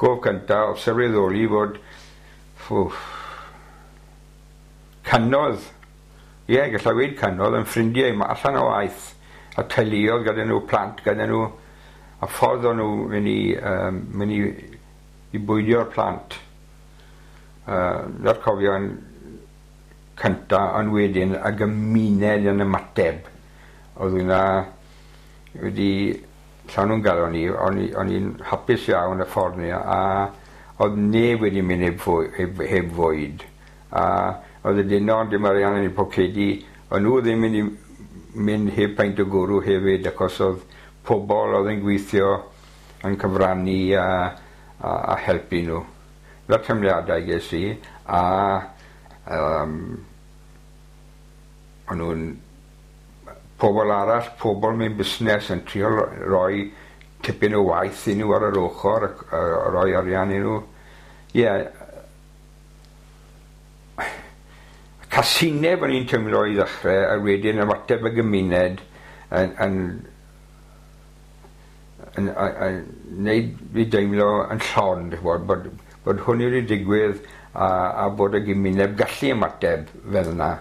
Gof cynta o sylweddoli fod, ffwff, cannoedd, ie, gallai weud cannoedd, yn ffrindiau allan o waith, a teuluoedd gyda nhw, plant gyda nhw, a ffordd o'n nhw mynd i, mynd i bwydio'r plant. 'Na'r cofion cynta, ond wedyn y gymuned yn ymateb. Oedd hwnna wedi llanw'n galon i, o'n i'n hapus iawn y ffordd 'ny, a oedd neb wedi mynd heb fwyd. A oedd y dynon dim arian yn eu pocedi, o'n nhw ddim mynd i mynd heb peint o gwrw hefyd, achos oedd pobl oedd yn gweithio yn cyfrannu a helpu nhw. 'Na'r teimladau ges i, a o'n nhw'n pobl arall, pobl mewn busnes yn trio roi tipyn o waith i nhw ar yr ochr, a roi arian i nhw. Ie, yeah. Casineb o'n i'n teimlo i ddechrau, a wedyn ymateb y gymuned yn neud fi deimlo yn llon, bod, bod hwn wedi digwydd a bod y gymuned gallu ymateb fel yna.